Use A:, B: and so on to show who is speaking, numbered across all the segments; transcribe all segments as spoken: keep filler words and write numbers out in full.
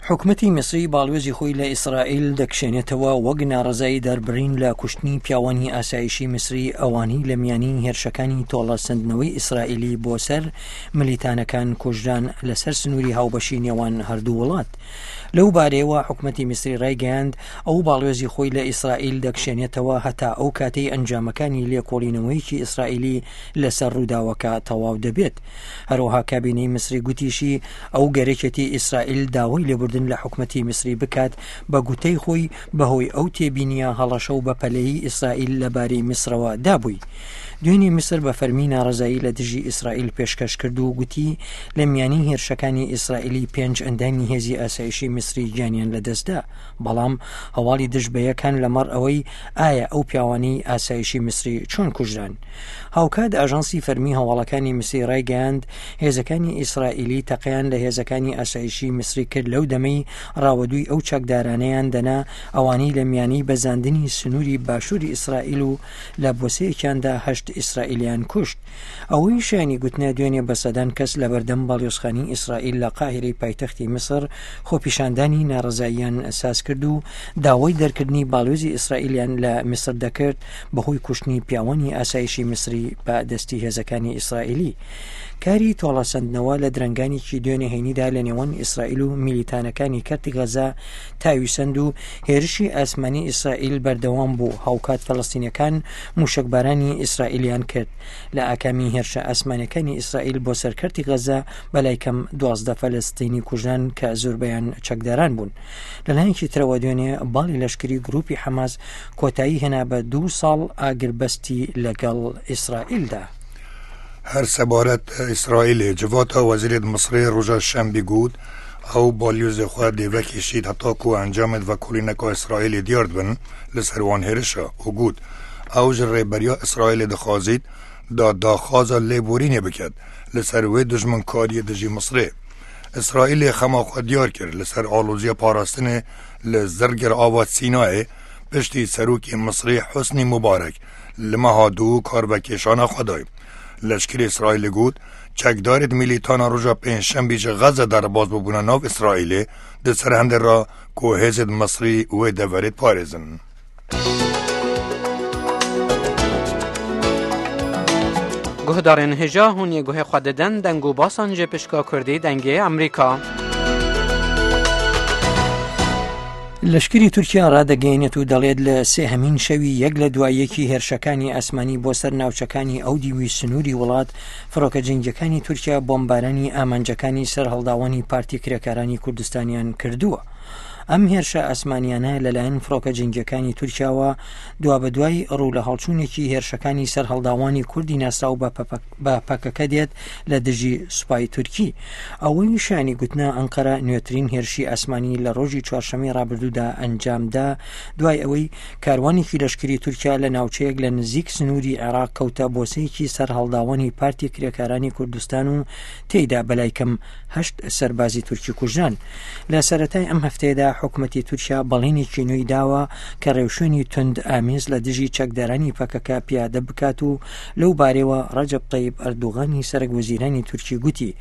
A: حکومەتی میسری باڵوێزی خۆی لە ئیسرائیل دەکشێنێتەوە وەک ناڕەزایی دەربڕین لە کوشتنی پیاوانی ئاسایشی میسری ئەوانەی لە میانی هێرشەکانی تۆڵەسەندنەوەی ئیسرائیلی بۆ سەر ملیتانەکان کوژران لەسەر سنووری هاوبەشی نێوان هەردوو وڵات. لەو بارەیەوە حکومەتی میسری ڕایگەیاند ئەو باڵوێزی خۆی لە ئیسرائیل دەکشێنێتەوە هەتا ئەو کاتەی ئەنجامەکانی لێکۆڵینەوەیەکی ئیسرائیلی لەسەر ڕووداوەکە تەواو دەبێت. هەروەها کابینەی میسری گوتیشی ئەو گەرەکێتی ئیسرائیل داوای لێبوردن لە حکومەتی میسری بکات بە گوتەی خۆی بەهۆی ئەو تێبینیە هەڵەشە و بەپەلەیی ئیسرائیل لەبارەی میسرەوە دابووی. دوێنێ میسر بە فەرمی ناڕەزایی لە دژی ئیسرائیل پێشکەش کرد و گوتی لە میانی هێرشەکانی ئیسرائیلی پێنج ئەندامی هێزی ئاسایشی میسری گیانیان لەدەستدا، بەڵام هەواڵی دژ بە یەکان لەمەڕ ئەوەی ئایا ئەو پیاوانەی ئاسایشی میسری چۆن کوژران. هاوکات ئاژانسی فەرمی هەواڵەکانی میسری ڕایگەیاند هێزەکانی ئیسرائیلی تەقەیان لە هێزەکانی ئاسایشی میسری کرد لەو دەمەی ڕاوەدووی ئەو چەکدارانەیان دەنا ئەوانەی لە میانی بەزاندنی سنووری باشووری ئیسرائیل و لە بۆسەیەکیاندا هەشت ئیسرائیلیان کوشت. ئەوەی شایانی گوتنە دوێنێ بە سەدان کەس لەبەردەم باڵیۆزخانەی ئیسرائیل لە قاهیرەی پایتەختی میسر خۆپیشاندانی ناڕەزاییان ساز کرد و داوای دەرکردنی باڵیۆزی ئیسرائیلیان لە میسر دەکرد بەهۆی کوشتنی پیاوانی ئاسایشی میسری بە دەستی هێزەکانی ئیسرائیلی. کاری تۆڵەسەندنەوە لە درەنگانێکی دوێنێ هەینیدا لە نێوان ئیسرائیل و میلیتانەکانی کەرتی غەزە تاویسەند و هێرشی ئاسمانی ئیسرائیل بەردەوام بوو، هاوکات فەلەستینەکان موشەکبارانی ئیسرائیلیان کرد. لە ئاکامی هێرشە ئاسمانەکانی ئیسرائیل بۆ سەر کەرتی غەزە بەلای کەم دوازدە فەلەستینی کوژران کە زۆربەیان چەکداران بوون. لەلایەکی ترەوە دوێنێ باڵی لەشکری گروپی حەماس کۆتایی هێنا بە دوو ساڵ ئاگربەستی لەگەڵ ئیسرائیلدا.
B: هەر سەبارەت ئیسرائیلێ جڤاتا وەزیرێت میسری ڕۆژە شەنبی گوت ئەو باڵیۆزی خۆ دێوەکێشید هەتاکو ئەنجامێت ڤەکۆڵینەکە ئیسرائیلی دیار بن لەسەر وان هێرشە و گوت ئەو ji ڕێبەریا ئیسرائیلê dixwazît da daxwaza lêborînê biket li ser wê dijminkariyê dijî Misrê. İsraîlê xema xwe diyar kir li ser aloziya parastinê li Zirgir ava Sînayê piştî serokê Misrê Husnî Mubarek li meha du karvekêşana xwe day. Leşkerê İsraîlê got çekdarê milîtana roja pêncşembî ji Xeze derbas bûbûna nav İsraîlê di ser hindê re ku hêzên Misrî wê deverê diparêzin.
C: Guhdarên hêja hûn yê guhê xwe didin deng û basan ji pişka Kurdî dengê Amerîka.
A: لەشکری تورکیا ڕادەگەیەنێت و دەڵێت لە سێهەمین شەوی یەک لە دوایەکی هێرشەکانی ئاسمانی بۆ سەر ناوچەکانی ئەو دیوی سنووری وڵات، فڕۆکە جەنگیەکانی تورکیا بۆمبارانی ئامانجەکانی سەرهەڵداوانی پارتی کرێکارانی کوردستانیان کردووە. ئەم هێرشە ئاسمانیانە لەلایەن فڕۆکە جەنگیەکانی تورکیاوە دوابەدوای ڕوو لە هەڵچوونێکی هێرشەکانی سەرهەڵداوانی کوردی ناسراو بە پەکەکە دێت لە دژی سوپای تورکی. ئەوەی شایانی گوتنە ئەنقەرە نوێترین هێرشی ئاسمانی لە ڕۆژی چوارشەممەی ڕابردوودا ئەنجامدا دوای ئەوەی کاروانێکی لەشکری تورکیا لە ناوچەیەک لە نزیک سنووری عێراق کەوتە بۆسەیەکی سەرهەڵداوانی پارتی کرێکارانی کوردستان و تێیدا بەلای کەم هەشت سەربازی تورکی کوژران. لە سەرەتای ئەم هەفتەیەدا حکومەتی تورکیا بەڵێنێکی نوێی داوە کە ڕێوشوێنی توند ئامێز لە دژی چەکدارانی پەکەکە پیادە بکات و لەو بارەوە ڕەجەب تەیب ئەردوغانی سەرەک وەزیرانی تورکی گوتی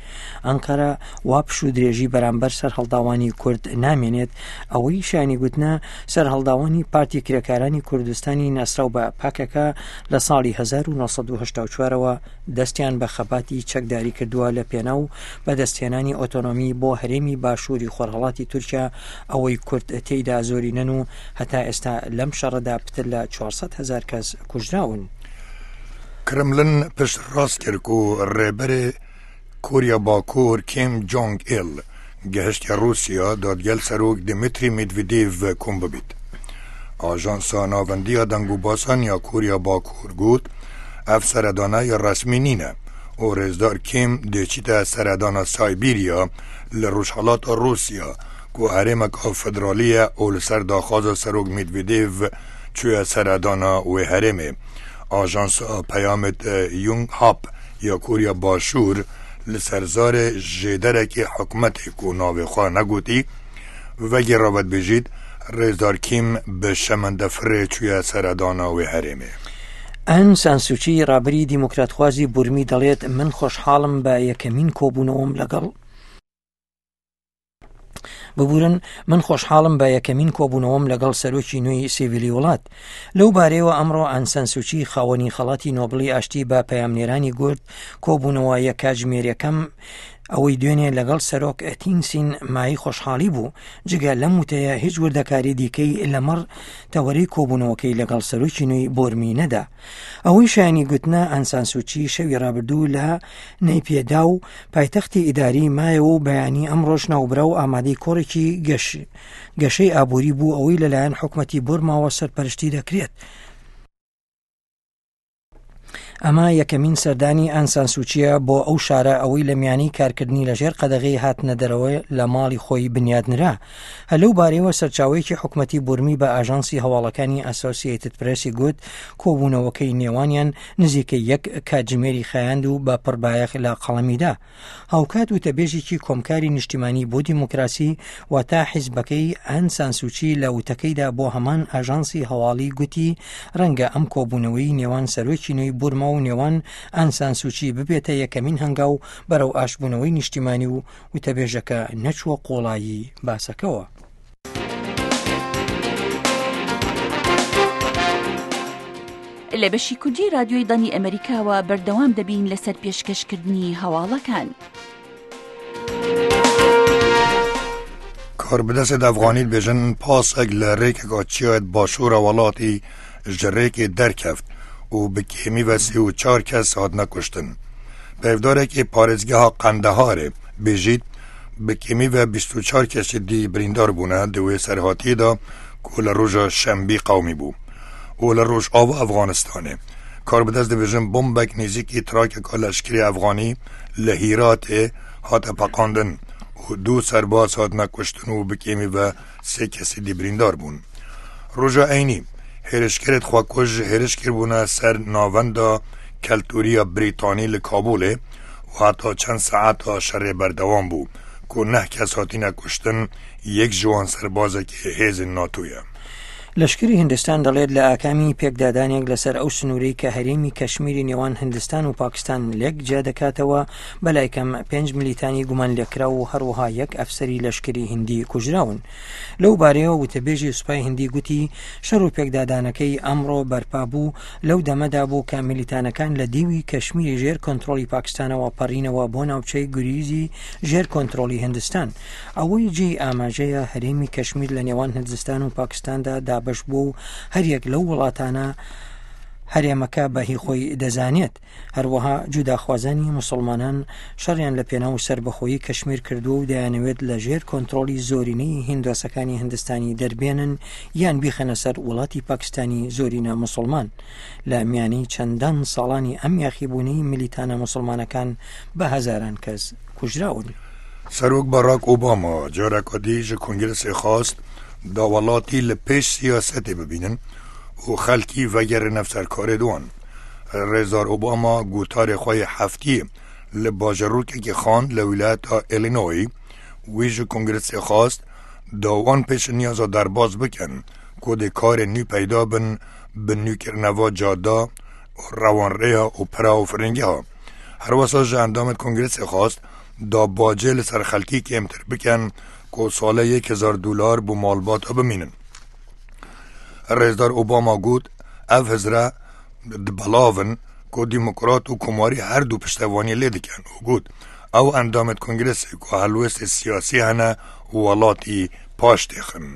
A: ئەنقەرە وا پشوو درێژی بەرامبەر سەرهەڵداوانی کورد نامێنێت. ئەوەی شایانی گوتنە سەرهەڵداوانی پارتی کرێکارانی کوردستانی ناسراو بە پەکەکە لە ساڵی هەزار و نۆ سەد و هەشتا و چوارەوە دەستیان بە خەباتی چەکداری کردووە لە پێناو بەدەستهێنانی ئۆتۆنۆمی بۆ هەرێمی باشووری خۆرهەڵاتی تورکیا ئەوەی کورد تێیدا زۆرینەن و هەتا ئێستا لەم شەڕەدا پتر لە چوار سەد هەزار کەس کوژراون.
B: کرملن پشت ڕاست کرد و ڕێبەرێ کۆریا باکوور کیم جۆنگ ئیل گەهشتە رووسیا دادگەل سەرۆک دمیتری مێدڤدێڤ کۆم ببیت. ئاژانسا ناوەندیە دەنگ و باسان یا کۆریا باکوور گوت ئەف سەردانە یا ڕەسمی نینە و ڕێزدار کیم دێچیتە سەردانە سایبیریا لە ڕۆژهەڵاتە رووسیا کو هەرێمەکە فدرالیە و لەسەر داخوازە سەرۆک مێدڤدێڤ چووە سەردانە وێ هەرێمێ. ئاژانسا پەیامت یونگ هاپ یا کۆریا باشوور li ser zarê jêderekê hikûmetê ku navê xwe negotî vegê ravet bêjît rêzdar Kîm bi şemendefirê çûye seredana wê herêmê.
A: ئان سان سوچی ڕابەری دیموکراتخوازی بورمی دەڵێت من خۆشحاڵم بە یەکەمین کۆبوونەوەم لەگەڵ ببورن، من خۆشحاڵم بە یەکەمین کۆبوونەوەم لەگەڵ سەرۆکی نوێی سیڤیلی وڵات. لەو بارەیەوە ئەمڕۆ ئانسان سوچی خاوەنی خەڵاتی نۆبڵی ئاشتی بە پەیامنێرانی گوت کۆبوونەوە یەک کاتژمێریەکەم ئەوەی دوێنێ لەگەڵ سەرۆک تینسین مای خۆشحاڵی بوو. جگە لەم وتەیە هیچ وردەکاری دیکەی لەمەڕ تەوەرەی کۆبوونەوەکەی لەگەڵ سەرۆکی نوێی بۆرمی نەدا. ئەوەی شایانی گوتنە ئانسان سوچی شەوی ڕابردوو لە نەیپێدا و پایتەختی ئیداری مایەوە و بەیانی ئەمڕۆژ ناوبرا و ئامادەی کۆڕێکی گەشەی ئابووری بوو ئەوەی لەلایەن حکومەتی بۆرماوە سەرپەرشتی دەکرێت. ئەمە یەکەمین سەردانی ئانسان سوچیە بۆ ئەو شارە ئەوەی لە میانی کارکردنی لەژێر قەدەغەی هاتنە دەرەوە لە ماڵی خۆی بنیادنرا. هەلەو بارەیەوە سەرچاوەیەکی حکومەتی بورمی بە ئاژانسی هەواڵەکانی ئەسۆسیەتد پرسی گوت کۆبوونەوەکەی نێوانیان نزیکە یەک کاتژمێری خایاند و بە پڕبایەخ لە قەڵەمیدا. هاوکات وتەبێژێکی کۆمکاری نیشتیمانی بۆ دیموکراسی واتە حیزبەکەی ئانسان سوچی لە وتەکەیدا بۆ هەمان ئاژانسی هەواڵی گوتی ڕەنگە ئەم کۆبوونەوەی نێوان سەرۆکی نوێی بورما و نێوان ئانسان سوچی ببێتە یەکەمین هەنگاو بەرەو ئاشبوونەوەی نیشتیمانی و وتەبێژەکە نەچووە قۆڵایی باسەکەوە.
D: لە بەشی کوردی رادیۆی دەنگی ئەمریکاوە بەردەوام دەبین لەسەر پێشکەشکردنی هەواڵەکان.
B: کاربەدەستێت ئەفغانی بێژن پاسێک لە ڕێکێکا چیایەت باشوورە وڵاتی ji rêkê derkeft û bi kêmî ve sê û çar kes hatine kuştin. Peyvdarekê parêzgeha Qendeharê bêjît bi kêmî ve bîst û çar kesî dî birîndar bûne di wê serhatiyê de ku li roja şembî qewmî bû û li rojava Efxanistanê. Karbidest dibêjin bombek nêzîkî trakeka leşkerî Efxanî li Hîratê hate peqandin û du serbaz hatine kuştin û bi kêmî ve sê kesî dî birîndar bûn. Roja eynî hêrişkerê xwekuj hêriş kiribûne ser navenda keltûriya Brîtanî li Kabûlê û heta çend saeta şerê berdewam bû ku neh kes hatine kuştin yek ji wan serbazekî hêzên NATO ye.
A: لەشکری هندستان دەڵێت لە ئاکامی پێکدادانێک لەسەر ئەو سنوورەی کە هەرێمی کەشمیری نێوان هندستان و پاکستان لێک جیا دەکاتەوە بەلای کەم پێنج ملیتانی گومان لێکراو و هەروەها یەک ئەفسەری لەشکری هندی کوژراون. لەو بارەیەوە وتەبێژی سوپای هندی گوتی شەڕ و پێکدادانەکەی ئەمڕۆ بەرپا بوو لەو دەمەدا بوو کە ملیتانەکان لە دیوی کەشمیری ژێر کۆنترۆڵی پاکستانەوە پەڕینەوە بۆ ناوچەی گوریزی ژێر کۆنترۆڵی هندستان. ئەوەی جێی ئاماژەیە هەرێمی کەشمیر لە نێوان هندستان و پاکستاندا دابەش بوو و هەریەک لەو وڵاتانە هەرێمەکە بەهی خۆی دەزانێت. هەروەها جوداخوازانی مسلمانان شەڕیان لە پێناو سەربەخۆیی کەشمیر کردووە و دەیانەوێت لە ژێر کۆنترۆڵی زۆرینەی هیندۆسەکانی هندستانی دەربێنن یان بیخەنە سەر وڵاتی پاکستانی زۆرینە مسلمان. لە میانی چەندان ساڵانی ئەم یاخیبوونەی ملیتانە مسلمانەکان بە هەزاران کەس کوژراون.
B: سەرۆک باراک ئۆباما جارێکا دی ji kongrêsê xwest da welatî li pêş siyasetê bibînin û xelkî vegerine serkarê wan. Rêzdar Obama gotarê xwe yê heftiyê li bajarokekî xand li wîlayeta Illinois wî ji kongrêsê xwest da wan pêşniyaza derbas bikin ku dê karên nû peyda bin bi nûkirineva cada û rewanrêya û pira û firingeha. Herwesa ji endamên kongrêsê xwest da bacê li ser xelkî kêmtir bikin ku salê yek hezar dolar bo malbata bimînin. Rêzdar Obama got ev hizre dibelavin ku demokrat û komarî her du piştevaniyê lê dikin û got ew endamên kongrêsê ku helwestê siyasî hene û welatî paş têxin.